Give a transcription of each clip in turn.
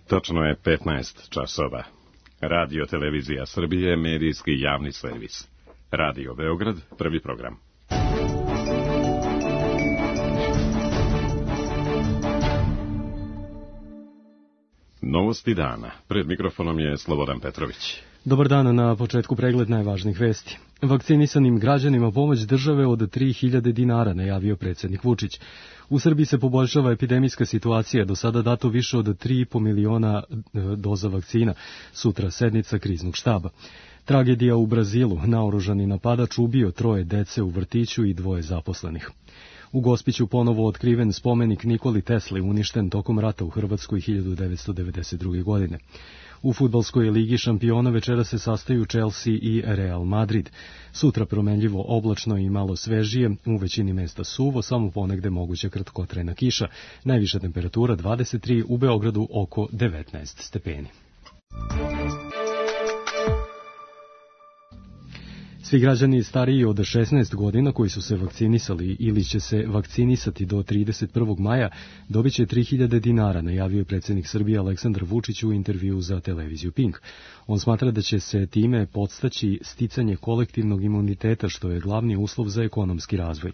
Točno je 15 časova. Radio Televizija Srbije, medijski javni servis. Radio Beograd, prvi program. Novosti dana. Pred mikrofonom je Slobodan Petrović. Dobar dan, na početku pregled najvažnijih vesti. Vakcinisanim građanima pomoć države od 3000 dinara, najavio predsjednik Vučić. U Srbiji se poboljšava epidemijska situacija, do sada dato više od 3,5 miliona doza vakcina, sutra sednica kriznog štaba. Tragedija u Brazilu, naoružani napadač ubio 3 dece u vrtiću i 2 zaposlenih. U Gospiću ponovo otkriven spomenik Nikoli Tesli, uništen tokom rata u Hrvatskoj 1992. godine. U fudbalskoj ligi šampiona večera se sastaju Chelsea i Real Madrid. Sutra promenljivo oblačno i malo svežije, u većini mesta suvo, samo ponegde moguća kratkotrajna kiša. Najviša temperatura 23, u Beogradu oko 19 stepeni. Svi građani stariji od 16 godina koji su se vakcinisali ili će se vakcinisati do 31. maja dobit će 3000 dinara, najavio je predsjednik Srbije Aleksandar Vučić u intervjuu za televiziju Pink. On smatra da će se time podstaći sticanje kolektivnog imuniteta, što je glavni uslov za ekonomski razvoj.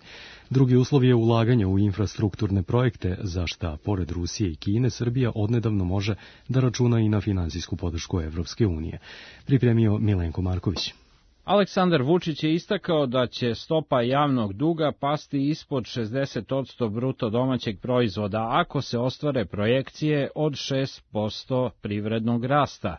Drugi uslov je ulaganje u infrastrukturne projekte, za šta, pored Rusije i Kine, Srbija odnedavno može da računa i na finansijsku podršku Evropske unije. Pripremio Milenko Marković. Aleksandar Vučić je istakao da će stopa javnog duga pasti ispod 60% bruto domaćeg proizvoda ako se ostvare projekcije od 6% privrednog rasta.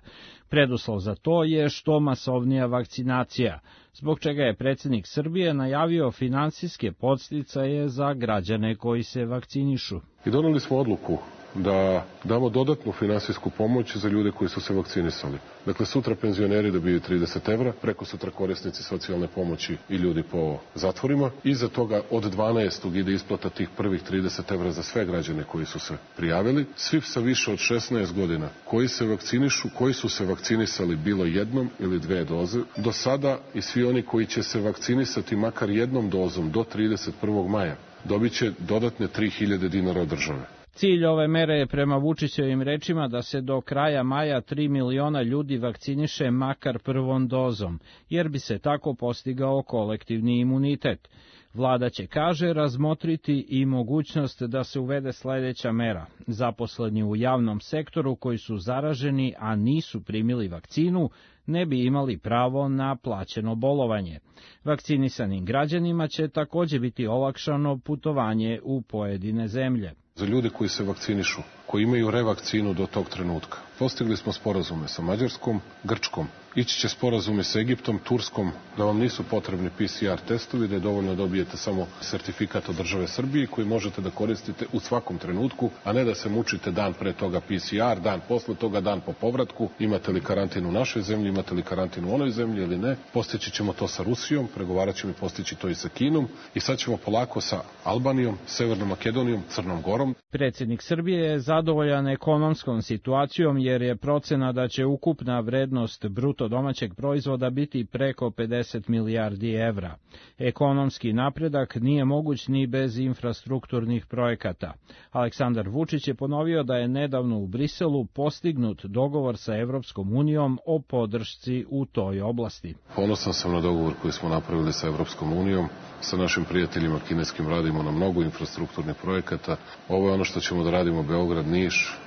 Preduslov za to je što masovnija vakcinacija, zbog čega je predsjednik Srbije najavio finansijske podsticaje za građane koji se vakcinišu. I doneli smo odluku da damo dodatnu finansijsku pomoć za ljude koji su se vakcinisali. Dakle, sutra penzioneri dobiju 30 evra, preko sutra korisnici socijalne pomoći i ljudi po zatvorima. Iza toga od 12. ide isplata tih prvih 30 evra za sve građane koji su se prijavili. Svi sa više od 16 godina koji se vakcinišu, koji su se vakcinisali bilo jednom ili 2 doze, do sada i svi oni koji će se vakcinisati makar jednom dozom do 31. maja dobit će dodatne 3000 dinara od države. Cilj ove mere je prema Vučićevim rečima da se do kraja maja 3 miliona ljudi vakciniše makar prvom dozom, jer bi se tako postigao kolektivni imunitet. Vlada će, kaže, razmotriti i mogućnost da se uvede sledeća mera. Zaposleni u javnom sektoru koji su zaraženi, a nisu primili vakcinu, ne bi imali pravo na plaćeno bolovanje. Vakcinisanim građanima će također biti olakšano putovanje u pojedine zemlje. Za ljude koji se vakcinišu, koji imaju revakcinu do tog trenutka, postigli smo sporazume sa Mađarskom, Grčkom. Ići će sporazume sa Egiptom, Turskom, da vam nisu potrebni PCR testovi, da je dovoljno dobijete samo sertifikat od države Srbije koji možete da koristite u svakom trenutku, a ne da se mučite dan pre toga PCR, dan posle toga, dan po povratku. Imate li karantin u našoj zemlji, imate li karantin u onoj zemlji ili ne. Postići ćemo to sa Rusijom, pregovarat ćemo i postići to i sa Kinom i sad ćemo polako sa Albanijom, Severnom Makedonijom, Crnom Gorom. Predsjednik Srbije je zadovoljan ekonomskom situacijom jer je procena da će ukupna vrednost bruto domaćeg proizvoda biti preko 50 milijardi evra. Ekonomski napredak nije moguć ni bez infrastrukturnih projekata. Aleksandar Vučić je ponovio da je nedavno u Briselu postignut dogovor sa Evropskom unijom o podršci u toj oblasti. Ponosan sam na dogovor koji smo napravili sa Evropskom unijom. Sa našim prijateljima kineskim radimo na mnogo infrastrukturnih projekata. Ovo je ono što ćemo da radimo Beograd,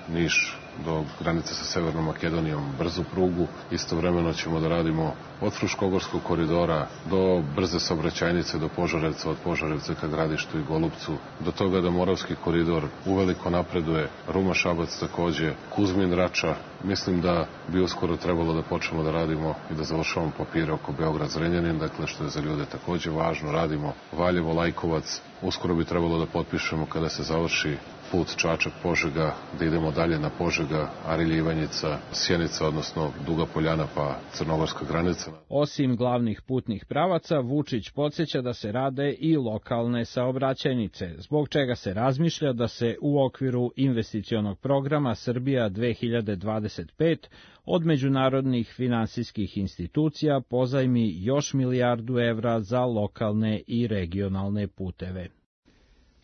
Niš do granice sa Severnom Makedonijom, brzu prugu. Istovremeno ćemo da radimo od Fruškogorskog koridora do brze saobraćajnice do Požarevca, od Požarevca ka Gradištu i Golupcu, do toga da Moravski koridor uveliko napreduje, Ruma-Šabac takođe, Kuzmin-Rača. Mislim da bi uskoro trebalo da počnemo da radimo i da završavamo papire oko Beograd-Zrenjanin, dakle što je za ljude takođe važno. Radimo Valjevo-Lajkovac, uskoro bi trebalo da potpišemo kada se završi put Čačak-Požega, da idemo dalje na Požega, Arilje-Ivanjica, Sjenica, odnosno Duga Poljana pa crnogorska granica. Osim glavnih putnih pravaca, Vučić podsjeća da se rade i lokalne saobraćajnice, zbog čega se razmišlja da se u okviru investicionog programa Srbija 2025 od međunarodnih finansijskih institucija pozajmi još 1 milijardu evra za lokalne i regionalne puteve.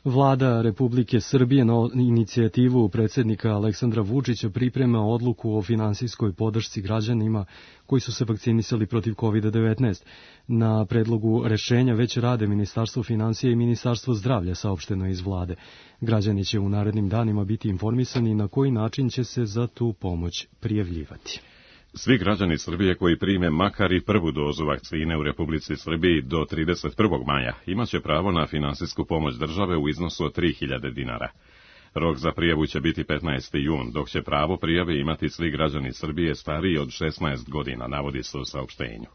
Vlada Republike Srbije na inicijativu predsjednika Aleksandra Vučića priprema odluku o finansijskoj podršci građanima koji su se vakcinisali protiv COVID-19. Na predlogu rešenja već rade Ministarstvo finansija i Ministarstvo zdravlja, saopšteno iz vlade. Građani će u narednim danima biti informisani na koji način će se za tu pomoć prijavljivati. Svi građani Srbije koji prime makar i prvu dozu vakcine u Republici Srbiji do 31. maja imaće pravo na finansijsku pomoć države u iznosu od 3.000 dinara. Rok za prijavu će biti 15. jun, dok će pravo prijave imati svi građani Srbije stariji od 16 godina, navodi se u saopštenju.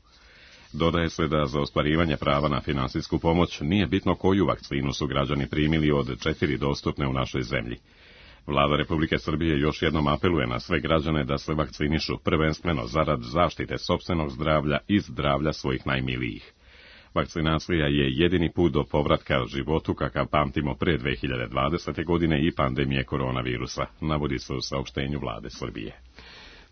Dodaje se da za ostvarivanje prava na finansijsku pomoć nije bitno koju vakcinu su građani primili od 4 dostupne u našoj zemlji. Vlada Republike Srbije još jednom apeluje na sve građane da se vakcinišu, prvenstveno zarad zaštite sopstvenog zdravlja i zdravlja svojih najmilijih. Vakcinacija je jedini put do povratka životu kakav pamtimo pre 2020. godine i pandemije koronavirusa, navodi se u saopštenju Vlade Srbije.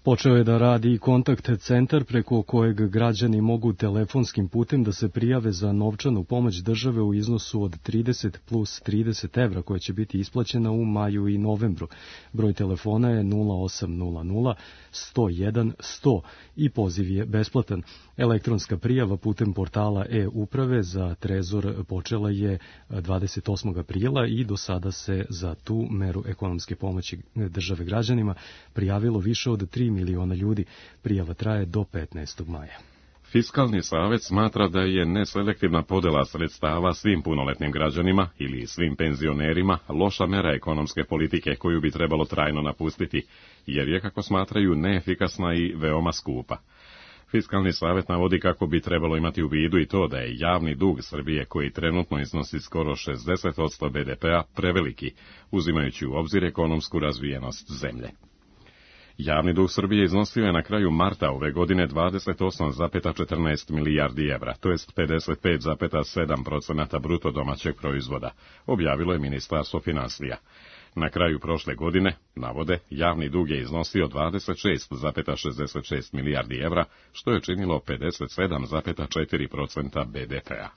Počeo je da radi kontakt centar preko kojeg građani mogu telefonskim putem da se prijave za novčanu pomoć države u iznosu od 30 plus 30 evra koja će biti isplaćena u maju i novembru. Broj telefona je 0800 101 100 i poziv je besplatan. Elektronska prijava putem portala e-uprave za Trezor počela je 28. aprila i do sada se za tu meru ekonomske pomoći države građanima prijavilo više od 3 miliona ljudi. Prijava traje do 15. maja. Fiskalni savet smatra da je neselektivna podela sredstava svim punoletnim građanima ili svim penzionerima loša mera ekonomske politike koju bi trebalo trajno napustiti, jer je, kako smatraju, neefikasna i veoma skupa. Fiskalni savet navodi kako bi trebalo imati u vidu i to da je javni dug Srbije, koji trenutno iznosi skoro 60% BDP-a, preveliki, uzimajući u obzir ekonomsku razvijenost zemlje. Javni dug Srbije iznosio je na kraju marta ove godine 28,14 milijardi evra, to jest 55,7% bruto domaćeg proizvoda, objavilo je Ministarstvo finansija. Na kraju prošle godine, navode, javni dug je iznosio 26,66 milijardi evra, što je činilo 57,4% BDP-a.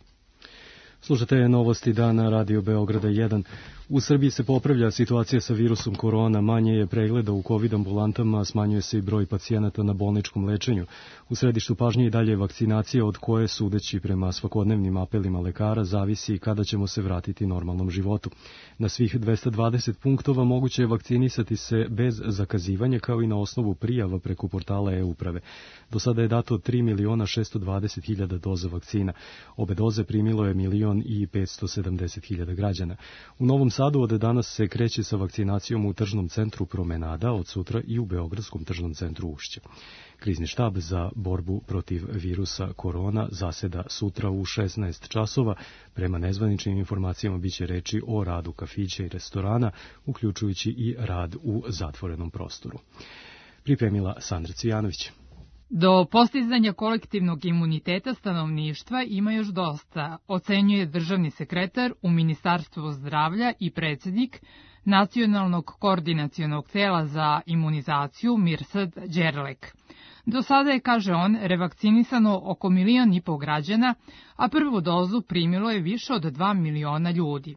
Slušate novosti dana Radio Beograda 1. U Srbiji se popravlja situacija sa virusom korona, manje je pregleda u COVID ambulantama, smanjuje se i broj pacijenata na bolničkom lečenju. U središtu pažnje i dalje vakcinacija od koje, sudeći prema svakodnevnim apelima lekara, zavisi kada ćemo se vratiti normalnom životu. Na svih 220 punktova moguće je vakcinisati se bez zakazivanja, kao i na osnovu prijava preko portala e-uprave. Do sada je dato 3.620.000 doza vakcina. Obe doze primilo je 1.570.000 građana. U Novom Sadu od danas se kreće sa vakcinacijom u tržnom centru Promenada, od sutra i u Beogradskom tržnom centru Ušće. Krizni štab za borbu protiv virusa korona zaseda sutra u 16 časova. Prema nezvaničnim informacijama biće reči o radu kafića i restorana, uključujući i rad u zatvorenom prostoru. Pripremila Sandra Cvijanović. Do postizanja kolektivnog imuniteta stanovništva ima još dosta, ocenjuje državni sekretar u Ministarstvu zdravlja i predsjednik Nacionalnog koordinacionog tela za imunizaciju Mirsad Đerlek. Do sada je, kaže on, revakcinisano oko 1,5 miliona građana, a prvu dozu primilo je više od 2 miliona ljudi.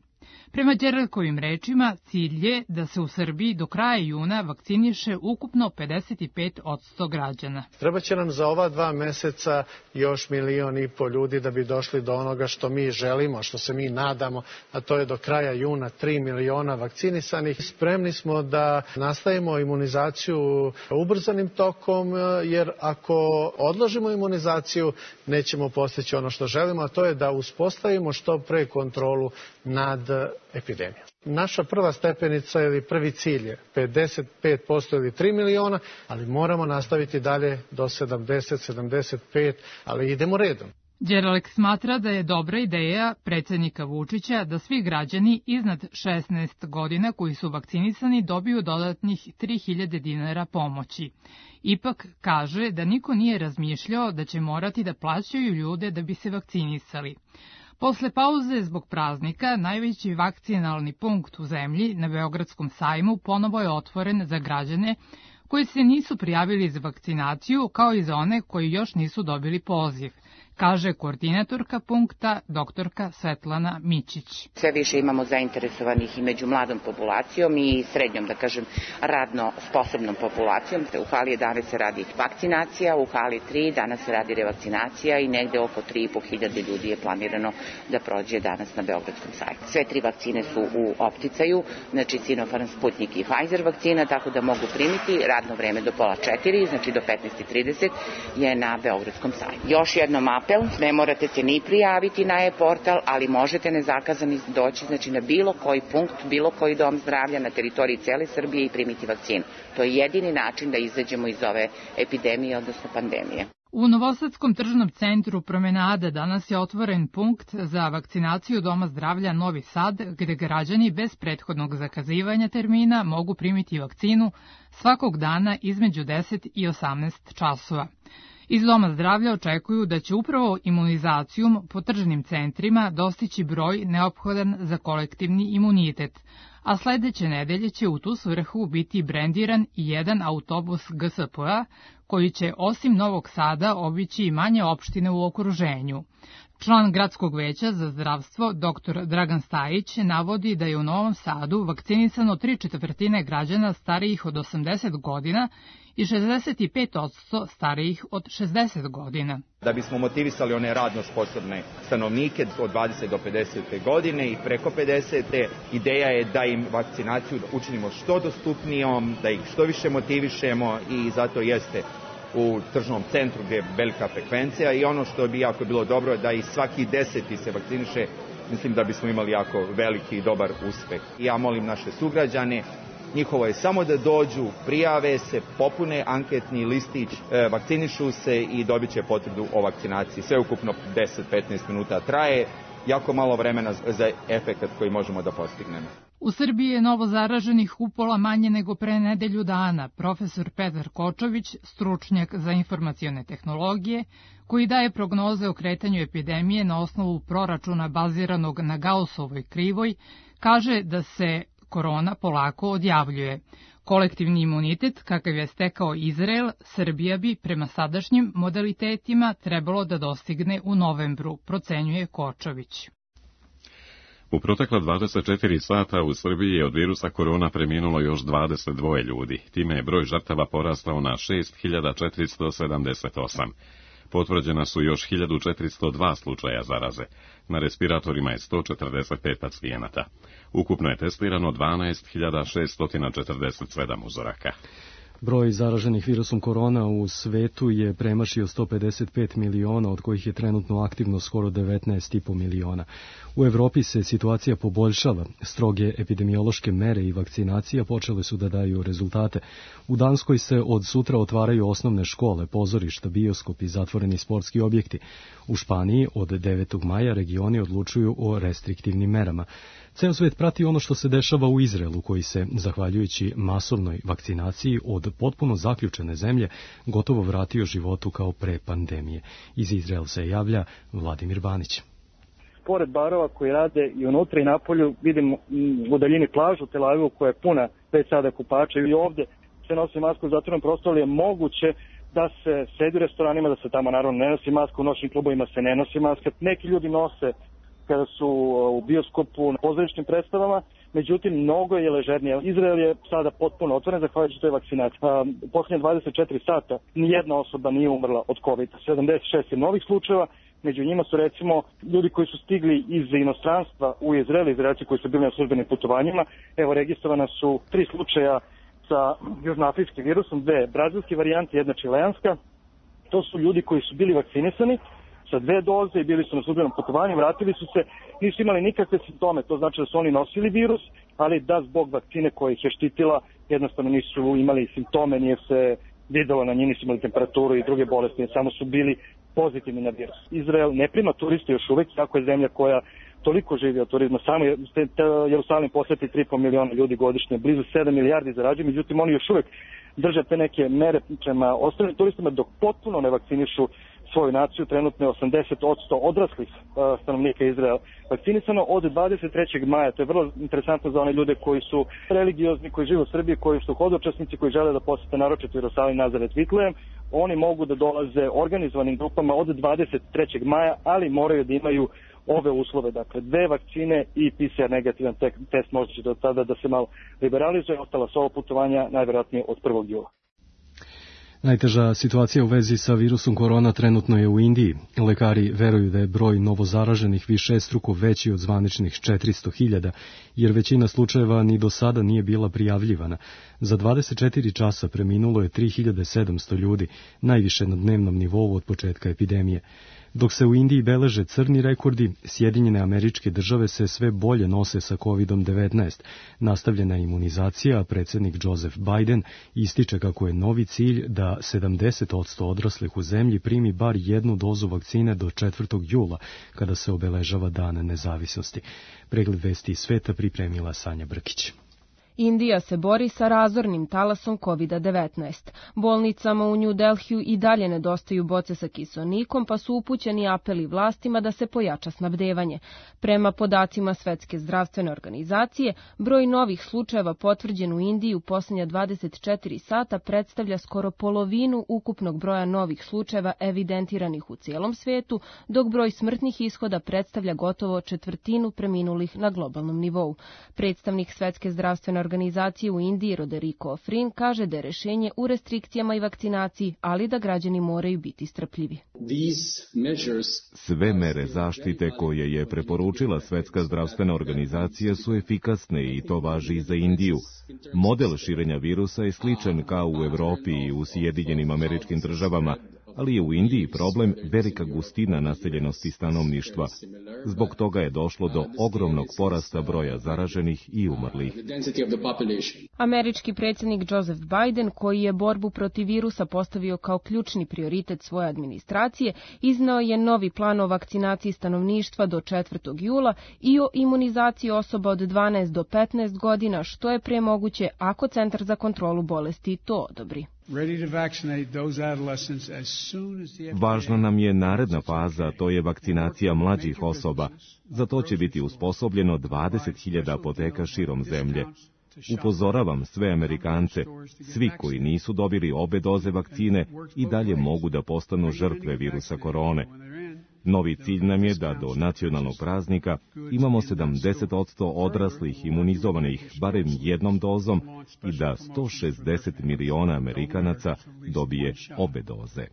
Prema Đerlekovim rečima, cilj je da se u Srbiji do kraja juna vakciniše ukupno 55% građana. Treba će nam za ova 2 meseca još 1,5 miliona ljudi da bi došli do onoga što mi želimo, što se mi nadamo, a to je do kraja juna 3 miliona vakcinisanih. Spremni smo da nastavimo imunizaciju ubrzanim tokom, jer ako odložimo imunizaciju, nećemo postići ono što želimo, a to je da uspostavimo što pre kontrolu nad epidemijom. Naša prva stepenica ili prvi cilj je 55% ili 3 miliona, ali moramo nastaviti dalje do 70, 75, ali idemo redom. Đerlek smatra da je dobra ideja predsjednika Vučića da svi građani iznad 16 godina koji su vakcinisani dobiju dodatnih 3.000 dinara pomoći. Ipak kaže da niko nije razmišljao da će morati da plaćaju ljude da bi se vakcinisali. Posle pauze zbog praznika, najveći vakcinalni punkt u zemlji na Beogradskom sajmu ponovo je otvoren za građane koji se nisu prijavili za vakcinaciju, kao i za one koji još nisu dobili poziv, kaže koordinatorka punkta doktorka Svetlana Mićić. Sve više imamo zainteresovanih i među mladom populacijom i srednjom, da kažem, radno sposobnom populacijom. U hali 11 se radi vakcinacija, u hali 3 danas se radi revakcinacija i negde oko 3.500 ljudi je planirano da prođe danas na Beogradskom sajtu. Sve 3 vakcine su u opticaju, znači Sinopharm, Sputnik i Pfizer vakcina, tako da mogu primiti. Radno vreme do pola 4, znači do 15:30 je na Beogradskom sajtu. Još jednom apel, ne morate se ni prijaviti na e-portal, ali možete nezakazani doći, znači na bilo koji punkt, bilo koji dom zdravlja na teritoriji cele Srbije i primiti vakcinu. To je jedini način da izađemo iz ove epidemije, odnosno pandemije. U Novosadskom tržnom centru Promenade danas je otvoren punkt za vakcinaciju Doma zdravlja Novi Sad, gde građani bez prethodnog zakazivanja termina mogu primiti vakcinu svakog dana između 10 i 18 časova. Iz Doma zdravlja očekuju da će upravo imunizacijom po tržnim centrima dostići broj neophodan za kolektivni imunitet, a sledeće nedelje će u tu svrhu biti brendiran i jedan autobus GSP-a koji će osim Novog Sada obići i manje opštine u okruženju. Član Gradskog veća za zdravstvo dr. Dragan Stajić navodi da je u Novom Sadu vakcinisano 3/4 građana starijih od 80 godina i 65% starijih od 60 godina. Da bismo motivisali one radno sposobne stanovnike od 20 do 50. godine i preko 50. ideja je da im vakcinaciju učinimo što dostupnijom, da ih što više motivišemo i zato jeste u tržnom centru gdje je velika frekvencija i ono što bi jako bilo dobro je da i svaki 10. se vakciniše, mislim da bismo imali jako veliki i dobar uspeh. Ja molim naše sugrađane, njihovo je samo da dođu, prijave se, popune anketni listić, vakcinišu se i dobit će potvrdu o vakcinaciji. Sve ukupno 10-15 minuta traje, jako malo vremena za efekat koji možemo da postignemo. U Srbiji je novo zaraženih upola manje nego pre nedelju dana. Profesor Petar Kočović, stručnjak za informacione tehnologije, koji daje prognoze o kretanju epidemije na osnovu proračuna baziranog na Gaussovoj krivoj, kaže da se korona polako odjavljuje. Kolektivni imunitet, kakav je stekao Izrael, Srbija bi prema sadašnjim modalitetima trebalo da dostigne u novembru, procenjuje Kočović. U protekla 24 sata u Srbiji je od virusa korona preminulo još 22 ljudi. Time je broj žrtava porastao na 6478. Potvrđena su još 1402 slučaja zaraze. Na respiratorima je 145 pacijenata. Ukupno je testirano 12.647 uzoraka. Broj zaraženih virusom korona u svetu je premašio 155 miliona, od kojih je trenutno aktivno skoro 19,5 miliona. U Evropi se situacija poboljšava. Stroge epidemiološke mere i vakcinacija počele su da daju rezultate. U Danskoj se od sutra otvaraju osnovne škole, pozorišta, bioskopi i zatvoreni sportski objekti. U Španiji od 9. maja regioni odlučuju o restriktivnim merama. Ceo svet prati ono što se dešava u Izraelu, koji se, zahvaljujući masovnoj vakcinaciji od potpuno zaključene zemlje, gotovo vratio životu kao pre pandemije. Iz Izraela se javlja Vladimir Banić. Pored barova koji rade i unutra i napolju, vidimo u daljini plažu Tel Avivu koja je puna već sada kupača i ovde se nosi masku u zatvorenom prostoru, je moguće da se sedi u restoranima, da se tamo naravno ne nosi maska, u noćnim klubovima se ne nosi maska. Neki ljudi nose kada su u bioskopu, na pozorišnim predstavama, međutim, mnogo je ležernije. Izrael je sada potpuno otvoren, zahvaljujući toj vakcinaciji. U posljednje 24 sata nijedna osoba nije umrla od COVID-a. 76 je novih slučajeva, među njima su recimo ljudi koji su stigli iz inostranstva u Izrael, Izraelci koji su bili na službenim putovanjima. Evo, registrovana su 3 slučaja sa južnoafričkim virusom, 2 brazilske varijante, 1 čileanska. To su ljudi koji su bili vakcinisani sa 2 doze i bili su na službenom putovanju, vratili su se, nisu imali nikakve simptome, to znači da su oni nosili virus, ali da zbog vakcine koja ih je štitila jednostavno nisu imali simptome, nije se videlo na njih, nisu imali temperaturu i druge bolesti, samo su bili pozitivni na virus. Izrael ne prima turiste još uvek, tako je zemlja koja toliko živi od turizma, samo Jerusalim poseti 3,5 miliona ljudi godišnje, blizu 7 milijardi zarađuju, međutim oni još uvek drže te neke mere prema ostalim turistima dok potpuno ne vakcinišu svoju naciju. Trenutno je 80% odraslih stanovnika Izraela vakcinisano od 23. maja. To je vrlo interesantno za one ljude koji su religiozni, koji žive u Srbiji, koji su hodočasnici, koji žele da posete naročito Jerusalim, Nazaret, Vitlejem. oni mogu da dolaze organizovanim grupama od 23. maja, ali moraju da imaju ove uslove, dakle 2 vakcine i PCR negativan test možda će do tada da se malo liberalizuje, ostala su ovo putovanja najvjerojatnije od 1. jula. Najteža situacija u vezi sa virusom korona trenutno je u Indiji. Lekari veruju da je broj novozaraženih višestruko veći od zvaničnih 400.000, jer većina slučajeva ni do sada nije bila prijavljivana. Za 24 časa preminulo je 3700 ljudi, najviše na dnevnom nivou od početka epidemije. Dok se u Indiji beleže crni rekordi, Sjedinjene Američke Države se sve bolje nose sa COVID-19. Nastavljena je imunizacija, a predsjednik Joseph Biden ističe kako je novi cilj da 70% odraslih u zemlji primi bar 1 dozu vakcine do 4. jula, kada se obeležava Dan nezavisnosti. Pregled vesti iz sveta pripremila Sanja Brkić. Indija se bori sa razornim talasom COVID-19. Bolnicama u New Delhiju i dalje nedostaju boce sa kiseonikom, pa su upućeni apeli vlastima da se pojača snabdevanje. Prema podacima Svetske zdravstvene organizacije, broj novih slučajeva potvrđen u Indiji u posljednja 24 sata predstavlja skoro polovinu ukupnog broja novih slučajeva evidentiranih u cijelom svijetu, dok broj smrtnih ishoda predstavlja gotovo četvrtinu preminulih na globalnom nivou. Predstavnik Svetske zdravstvene organizacije u Indiji Roderico Ofrin kaže da je rješenje u restrikcijama i vakcinaciji, ali da građani moraju biti strpljivi. Sve mere zaštite koje je preporučila Svetska zdravstvena organizacija su efikasne i to važi i za Indiju. Model širenja virusa je sličan kao u Evropi i u Sjedinjenim Američkim Državama, ali je u Indiji problem velika gustina naseljenosti stanovništva. Zbog toga je došlo do ogromnog porasta broja zaraženih i umrlih. Američki predsjednik Joseph Biden, koji je borbu protiv virusa postavio kao ključni prioritet svoje administracije, izneo je novi plan o vakcinaciji stanovništva do 4. jula i o imunizaciji osoba od 12 do 15 godina, što je prije moguće ako Centar za kontrolu bolesti to odobri. Važna nam je naredna faza, to je vakcinacija mlađih osoba. Za to će biti usposobljeno 20.000 apoteka širom zemlje. Upozoravam sve Amerikance, svi koji nisu dobili obe doze vakcine i dalje mogu da postanu žrtve virusa korone. Novi cilj nam je da do nacionalnog praznika imamo 70% odraslih imunizovanih barem 1 dozom i da 160 miliona Amerikanaca dobije obe doze.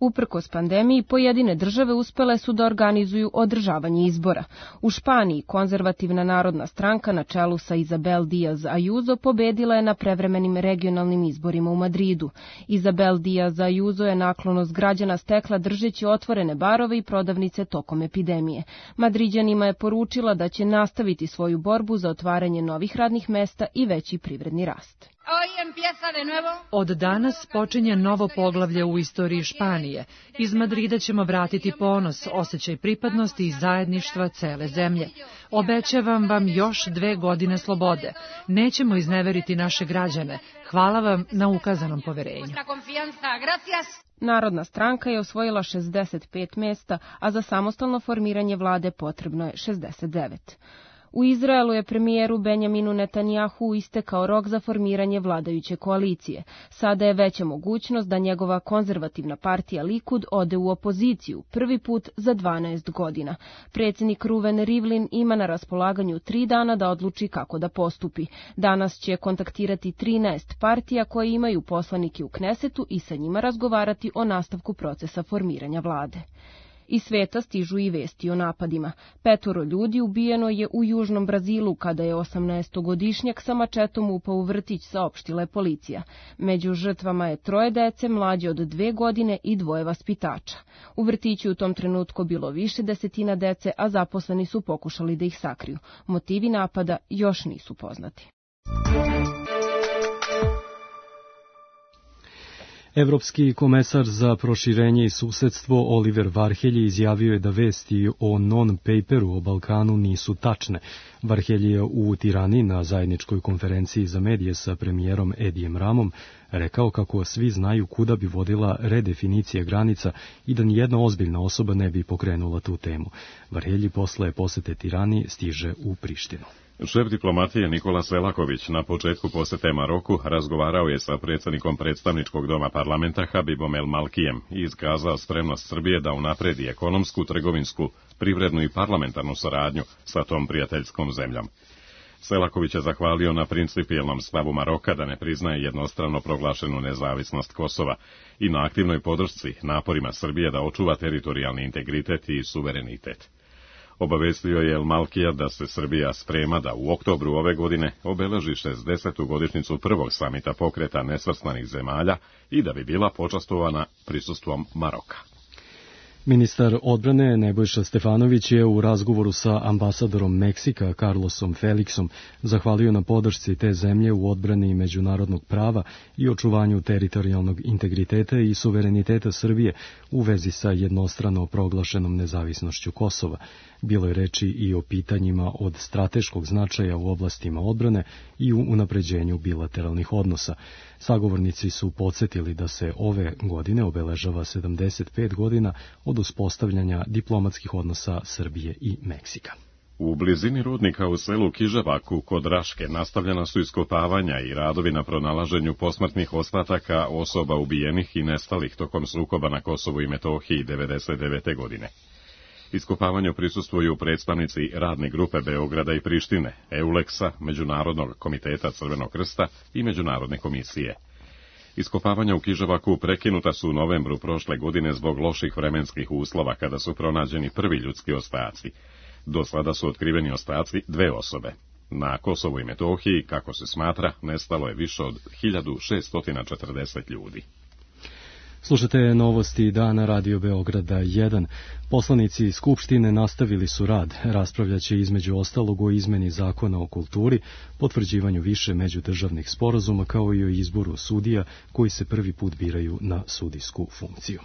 Uprkos pandemiji, pojedine države uspele su da organizuju održavanje izbora. U Španiji konzervativna narodna stranka na čelu sa Isabel Díaz Ayuso pobedila je na prevremenim regionalnim izborima u Madridu. Isabel Díaz Ayuso je naklonost građana stekla držeći otvorene barove i prodavnice tokom epidemije. Madriđanima je poručila da će nastaviti svoju borbu za otvaranje novih radnih mesta i veći privredni rast. Od danas počinje novo poglavlje u istoriji Španije. Iz Madrida ćemo vratiti ponos, osjećaj pripadnosti i zajedništva cele zemlje. Obećavam vam još 2 godine slobode. Nećemo izneveriti naše građane. Hvala vam na ukazanom poverenju. Narodna stranka je osvojila 65 mjesta, a za samostalno formiranje vlade potrebno je 69. U Izraelu je premijeru Benjaminu Netanjahu istekao rok za formiranje vladajuće koalicije. Sada je veća mogućnost da njegova konzervativna partija Likud ode u opoziciju, prvi put za 12 godina. Predsjednik Ruven Rivlin ima na raspolaganju 3 dana da odluči kako da postupi. Danas će kontaktirati 13 partija koje imaju poslanike u Knesetu i sa njima razgovarati o nastavku procesa formiranja vlade. Iz sveta stižu i vesti o napadima. 5 ljudi ubijeno je u južnom Brazilu kada je 18-godišnjak sa mačetom upao u vrtić, saopštila je policija. Među žrtvama je 3 dece mlađe od 2 godine i 2 vaspitača. U vrtiću u tom trenutku bilo više desetina dece, a zaposleni su pokušali da ih sakriju. Motivi napada još nisu poznati. Evropski komesar za proširenje i susedstvo Oliver Varhelji izjavio je da vesti o non-paperu o Balkanu nisu tačne. Varhelji je u Tirani na zajedničkoj konferenciji za medije sa premijerom Edijem Ramom rekao kako svi znaju kuda bi vodila redefinicija granica i da nijedna ozbiljna osoba ne bi pokrenula tu temu. Varhelji posle posete Tirani stiže u Prištinu. Šef diplomatije Nikola Selaković na početku posete Maroku razgovarao je sa predsjednikom predstavničkog doma parlamenta Habibom El Malkijem i iskazao spremnost Srbije da unapredi ekonomsku, trgovinsku, privrednu i parlamentarnu saradnju sa tom prijateljskom zemljom. Selaković je zahvalio na principijelnom stavu Maroka da ne priznaje jednostrano proglašenu nezavisnost Kosova i na aktivnoj podršci naporima Srbije da očuva teritorijalni integritet i suverenitet. Obavestio je El Malkija da se Srbija sprema da u oktobru ove godine obeleži 60. godišnjicu prvog samita pokreta nesvrstanih zemalja i da bi bila počastovana prisustvom Maroka. Ministar odbrane Nebojša Stefanović je u razgovoru sa ambasadorom Meksika Carlosom Felixom zahvalio na podršci te zemlje u odbrani međunarodnog prava i očuvanju teritorijalnog integriteta i suvereniteta Srbije u vezi sa jednostrano proglašenom nezavisnošću Kosova. Bilo je reči i o pitanjima od strateškog značaja u oblastima odbrane i u unapređenju bilateralnih odnosa. Sagovornici su podsjetili da se ove godine obeležava 75 godina od uspostavljanja diplomatskih odnosa Srbije i Meksika. U blizini rudnika u selu Kiževaku kod Raške nastavljena su iskopavanja i radovi na pronalaženju posmrtnih ostataka osoba ubijenih i nestalih tokom sukoba na Kosovu i Metohiji 1999. godine. Iskopavanju prisustvuju predstavnici radne grupe Beograda i Prištine, EULEX-a, Međunarodnog komiteta Crvenog krsta i Međunarodne komisije. Iskopavanja u Kiževaku prekinuta su u novembru prošle godine zbog loših vremenskih uslova kada su pronađeni prvi ljudski ostaci. Do sada su otkriveni ostaci 2 osobe. Na Kosovu i Metohiji, kako se smatra, nestalo je više od 1640 ljudi. Slušate novosti dana Radio Beograda 1. Poslanici Skupštine nastavili su rad. Raspravljaće između ostalog o izmeni zakona o kulturi, potvrđivanju više međudržavnih sporazuma kao i o izboru sudija koji se prvi put biraju na sudijsku funkciju.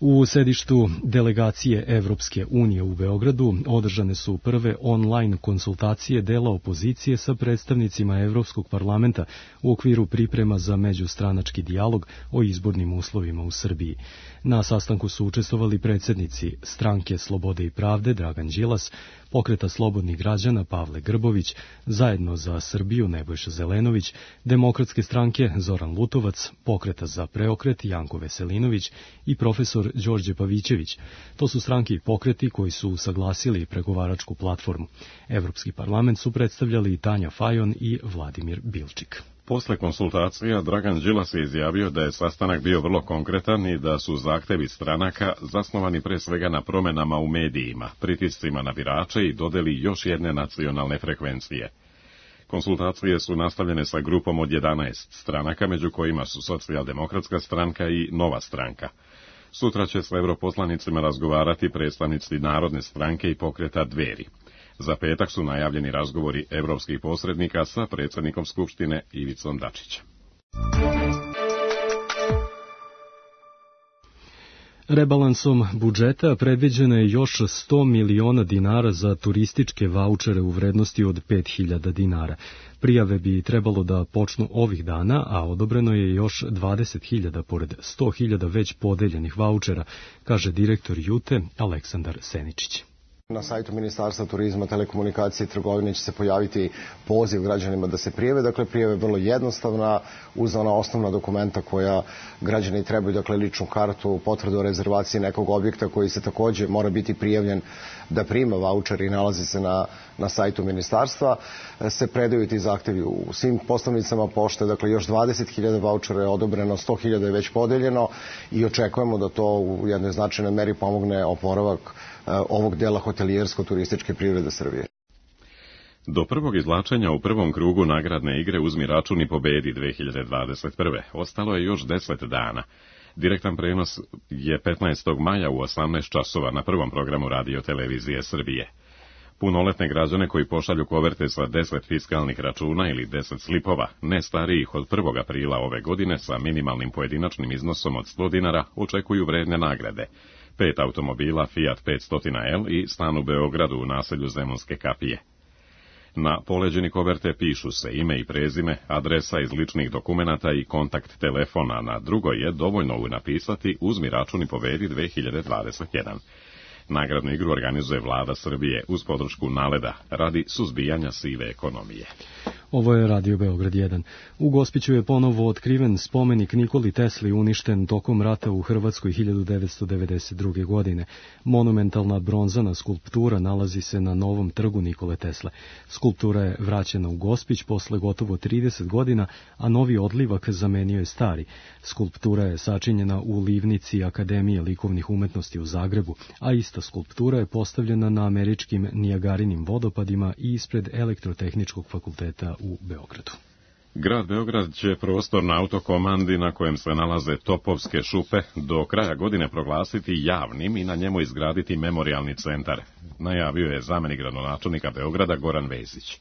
U sedištu delegacije Evropske unije u Beogradu održane su prve online konsultacije dela opozicije sa predstavnicima Evropskog parlamenta u okviru priprema za međustranački dijalog o izbornim uslovima u Srbiji. Na sastanku su učestvovali predsjednici Stranke Slobode i pravde Dragan Đilas, Pokreta slobodnih građana Pavle Grbović, Zajedno za Srbiju Nebojša Zelenović, Demokratske stranke Zoran Lutovac, Pokreta za preokret Janko Veselinović i profesor Đorđe Pavićević. To su stranke i pokreti koji su usaglasili pregovaračku platformu. Evropski parlament su predstavljali Tanja Fajon i Vladimir Bilčik. Posle konsultacija Dragan Đilas je izjavio da je sastanak bio vrlo konkretan i da su zahtevi stranaka zasnovani pre svega na promenama u medijima, pritiscima na birače i dodeli još jedne nacionalne frekvencije. Konsultacije su nastavljene sa grupom od 11 stranaka, među kojima su Socijaldemokratska stranka i Nova stranka. Sutra će s europoslanicima razgovarati predstavnici Narodne stranke i Pokreta Dveri. Za petak su najavljeni razgovori evropskih posrednika sa predsjednikom Skupštine Ivicom Dačićem. Rebalansom budžeta predviđeno je još 100 miliona dinara za turističke vaučere u vrednosti od 5.000 dinara. Prijave bi trebalo da počnu ovih dana, a odobreno je još 20.000 pored 100.000 već podeljenih vaučera, kaže direktor Jute Aleksandar Seničić. Na sajtu Ministarstva turizma, telekomunikacije i trgovine će se pojaviti poziv građanima da se prijave. Dakle, prijave je vrlo jednostavna, uz ona osnovna dokumenta koja građani trebaju, dakle, ličnu kartu, potvrdu o rezervaciji nekog objekta koji se takođe mora biti prijavljen da prima vaučer i nalazi se na sajtu Ministarstva. Se predaju ti zahtevi u svim poslovnicama pošte, dakle, još 20.000 vaučera je odobreno, 100.000 je već podeljeno i očekujemo da to u jednoj značajnoj meri pomogne oporavak ovog dela hotelijersko-turističke privrede Srbije. Do prvog izvlačenja u prvom krugu nagradne igre Uzmi račun i pobedi 2021. Ostalo je još 10 dana. Direktan prenos je 15. maja u 18 časova na prvom programu Radio Televizije Srbije. Punoletne građane koji pošalju koverte sa 10 fiskalnih računa ili 10 slipova, ne starijih od 1. aprila ove godine sa minimalnim pojedinačnim iznosom od 100 dinara, očekuju vredne nagrade. 5 automobila Fiat 500L i stan u Beogradu u naselju Zemunske kapije. Na poleđeni koverte pišu se ime i prezime, adresa iz ličnih dokumenata i kontakt telefona, na drugoj je dovoljno napisati Uzmi račun i pobedi 2021. Nagradnu igru organizuje vlada Srbije uz podršku NALED-a radi suzbijanja sive ekonomije. Ovo je Radio Beograd 1. U Gospiću je ponovo otkriven spomenik Nikoli Tesli uništen tokom rata u Hrvatskoj 1992. godine. Monumentalna bronzana skulptura nalazi se na novom trgu Nikole Tesle. Skulptura je vraćena u Gospić posle gotovo 30 godina, a novi odlivak zamenio je stari. Skulptura je sačinjena u livnici Akademije likovnih umetnosti u Zagrebu, a ista skulptura je postavljena na američkim Nijagarinim vodopadima i ispred Elektrotehničkog fakulteta u Beogradu. Grad Beograd će prostor na autokomandi na kojem se nalaze Topovske šupe do kraja godine proglasiti javnim i na njemu izgraditi memorijalni centar, najavio je zamenik gradonačelnika Beograda Goran Vesić.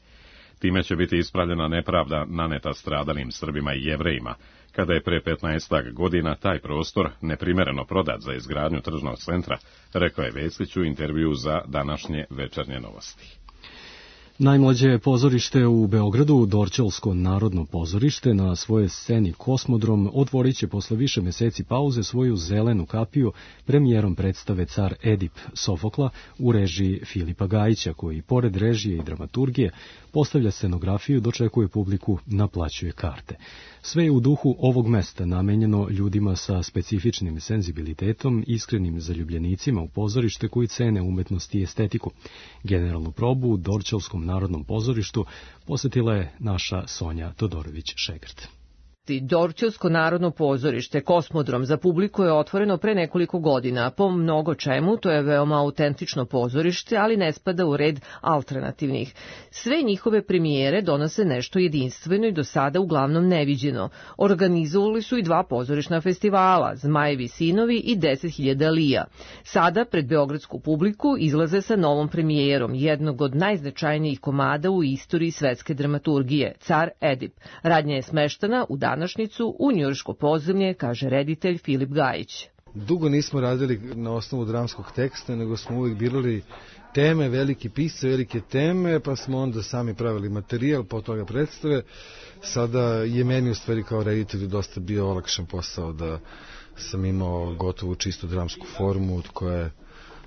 Time će biti ispravljena nepravda naneta stradalim Srbima i Jevrejima, kada je pre 15 godina taj prostor neprimereno prodat za izgradnju tržnog centra, rekao je Vesić u intervjuu za današnje Večernje novosti. Najmlađe pozorište u Beogradu, Dorćolsko narodno pozorište, na svojoj sceni Kosmodrom otvorit će posle više meseci pauze svoju zelenu kapiju premijerom predstave Car Edip Sofokla u režiji Filipa Gajića, koji pored režije i dramaturgije postavlja scenografiju, dočekuje publiku, naplaćuje karte. Sve je u duhu ovog mesta namenjeno ljudima sa specifičnim senzibilitetom, iskrenim zaljubljenicima u pozorište koji cene umetnost i estetiku. Generalnu probu u Dorćolskom narodnom pozorištu posetila je naša Sonja Todorović-Šegrt. Dorćolsko narodno pozorište Kosmodrom za publiku je otvoreno pre nekoliko godina. Po mnogo čemu to je veoma autentično pozorište, ali ne spada u red alternativnih. Sve njihove premijere donose nešto jedinstveno i do sada uglavnom neviđeno. Organizovali su i 2 pozorišna festivala, Zmajevi sinovi i 10.000 lija. Sada pred beogradsku publiku izlaze sa novom premijerom jednog od najznačajnijih komada u istoriji svetske dramaturgije, Car Edip. Radnja je smeštana u današnjicu u njujorško podzemlje, kaže reditelj Filip Gajić. Dugo nismo radili na osnovu dramskog teksta, nego smo uvijek birali teme, veliki pisce, velike teme, pa smo onda sami pravili materijal, po toga predstave. Sada je meni u stvari kao reditelju dosta bio olakšan posao da sam imao gotovu čistu dramsku formu od koje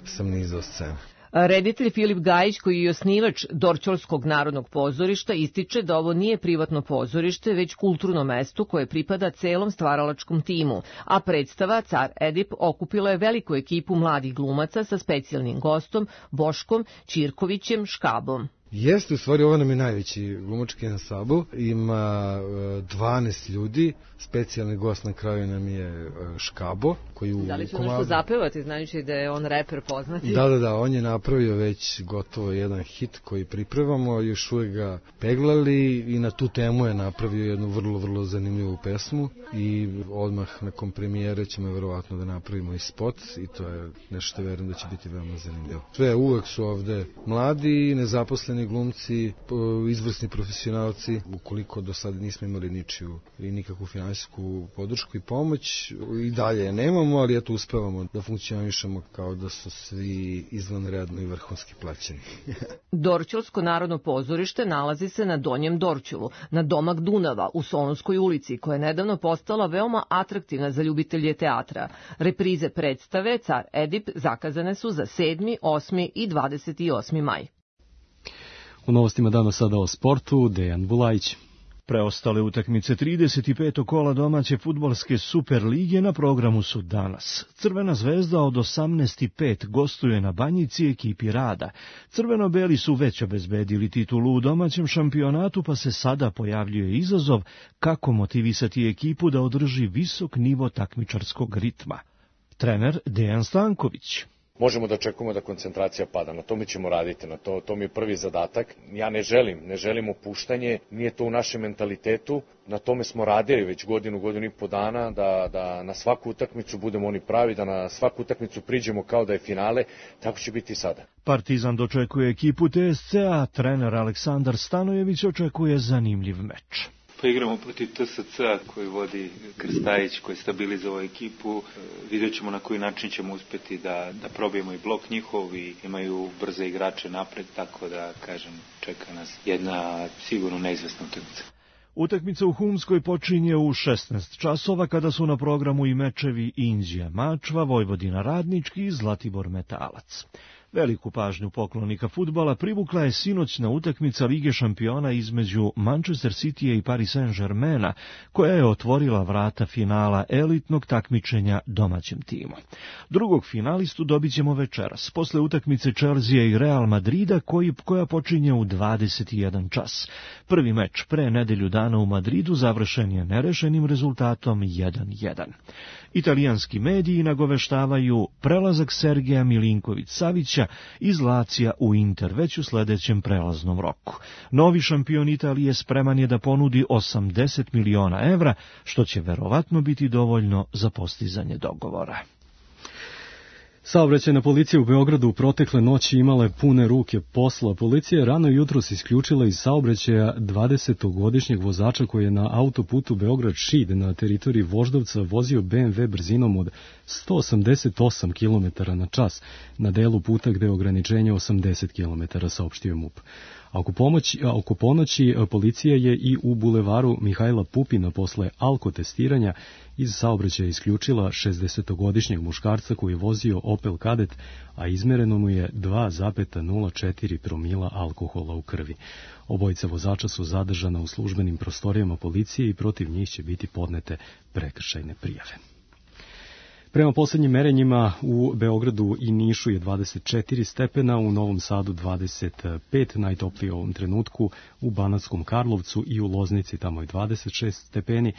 sam nizao scene. Reditelj Filip Gajić, koji je osnivač Dorćolskog narodnog pozorišta, ističe da ovo nije privatno pozorište, već kulturno mesto koje pripada celom stvaralačkom timu, a predstava Car Edip okupila je veliku ekipu mladih glumaca sa specijalnim gostom Boškom Ćirkovićem Škabom. Jeste, u stvari ovo nam je najveći glumački ansambl, ima 12 ljudi, specijalni gost na kraju nam je Škabo. Da li će nešto zapevati, znajući da je on reper poznati? Da, on je napravio već gotovo jedan hit koji pripremamo, još uvijek ga peglali i na tu temu je napravio jednu vrlo zanimljivu pesmu i odmah nakon premijere ćemo verovatno da napravimo i spot i to je nešto verujem da će biti veoma zanimljivo. Sve uvek su ovde mladi, nezaposleni glumci, izvrsni profesionalci, ukoliko do sada nismo imali ničiju i nikakvu finansijsku podršku i pomoć, i dalje nemamo, ali eto uspevamo da funkcionišemo kao da su svi izvanredno i vrhunski plaćeni. Dorćolsko narodno pozorište nalazi se na Donjem Dorćolu, na domak Dunava, u Solunskoj ulici, koja je nedavno postala veoma atraktivna za ljubitelje teatra. Reprize predstave Car Edip zakazane su za 7., 8. i 28. maj. U novostima danas sada o sportu, Dejan Bulajić. Preostale utakmice 35. kola domaće fudbalske Super lige na programu su danas. Crvena zvezda od 18:05 gostuje na Banjici ekipi Rada. Crveno-beli su već obezbedili titulu u domaćem šampionatu, pa se sada pojavljuje izazov kako motivisati ekipu da održi visok nivo takmičarskog ritma. Trener Dejan Stanković. Možemo da očekujemo da koncentracija pada, na tome ćemo raditi, to mi je prvi zadatak. Ja ne želim opuštanje, nije to u našem mentalitetu, na tome smo radili već godinu i po dana, da na svaku utakmicu budemo oni pravi, da na svaku utakmicu priđemo kao da je finale, tako će biti i sada. Partizan dočekuje ekipu TSC-a, trener Aleksandar Stanojević očekuje zanimljiv meč. Pa igramo protiv TSC-a koji vodi Krstajić, koji stabilizovao ekipu. Vidjet ćemo na koji način ćemo uspjeti da probijemo i blok njihov i imaju brze igrače napred, tako da, kažem, čeka nas jedna sigurno neizvesna utakmica. Utakmica u Humskoj počinje u 16 časova kada su na programu i mečevi Inđija Mačva, Vojvodina Radnički i Zlatibor Metalac. Veliku pažnju poklonika fudbala privukla je sinoćna utakmica Lige šampiona između Manchester Citya i Paris Saint-Germaina, koja je otvorila vrata finala elitnog takmičenja domaćem timu. Drugog finalistu dobit ćemo večeras, posle utakmice Chelsea i Real Madrida koja počinje u 21 čas. Prvi meč pre nedelju dana u Madridu završen je nerešenim rezultatom 1:1. Italijanski mediji nagoveštavaju prelazak Sergeja Milinković-Savića iz Lacija u Inter već u sledećem prelaznom roku. Novi šampion Italije spreman je da ponudi 80 miliona evra, što će verovatno biti dovoljno za postizanje dogovora. Saobraćajna policija u Beogradu u protekle noći imala je pune ruke posla. Policija je rano jutros isključila iz saobraćaja 20-godišnjeg vozača koji je na autoputu Beograd-Šid na teritoriji Voždovca vozio BMW brzinom od 188 km na čas na delu puta gde je ograničenje 80 km, saopštio MUP. Oko ponoći policija je i u bulevaru Mihajla Pupina posle alkotestiranja iz saobraćaja isključila 60-godišnjeg muškarca koji je vozio Opel Kadett, a izmereno mu je 2,04 promila alkohola u krvi. Obojica vozača su zadržana u službenim prostorijama policije i protiv njih će biti podnete prekršajne prijave. Prema poslednjim merenjima u Beogradu i Nišu je 24 stepena, u Novom Sadu 25, najtoplije u ovom trenutku u Banatskom Karlovcu i u Loznici, tamo je 26 stepeni,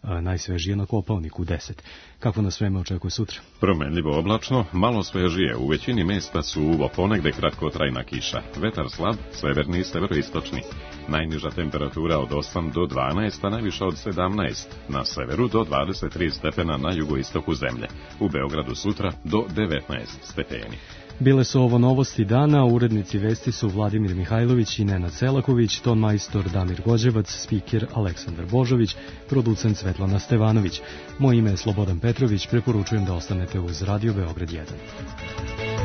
najsvežije na Kopaoniku 10. Kako nas vreme očekuje sutra? Promenljivo oblačno, malo svežije, u većini mesta suvo, ponegde kratkotrajna kiša. Vetar slab, severni i severoistočni. Najniža temperatura od 8 do 12, a najviša od 17. Na severu do 23 stepena na jugoistoku zemlje. U Beogradu sutra do 19 stepeni. Bile su ovo novosti dana, urednici vesti su Vladimir Mihajlović i Nenad Selaković, ton majstor Damir Gođevac, spiker Aleksandar Božović, producent Svetlana Stevanović. Moje ime je Slobodan Petrović, preporučujem da ostanete uz Radio Beograd 1.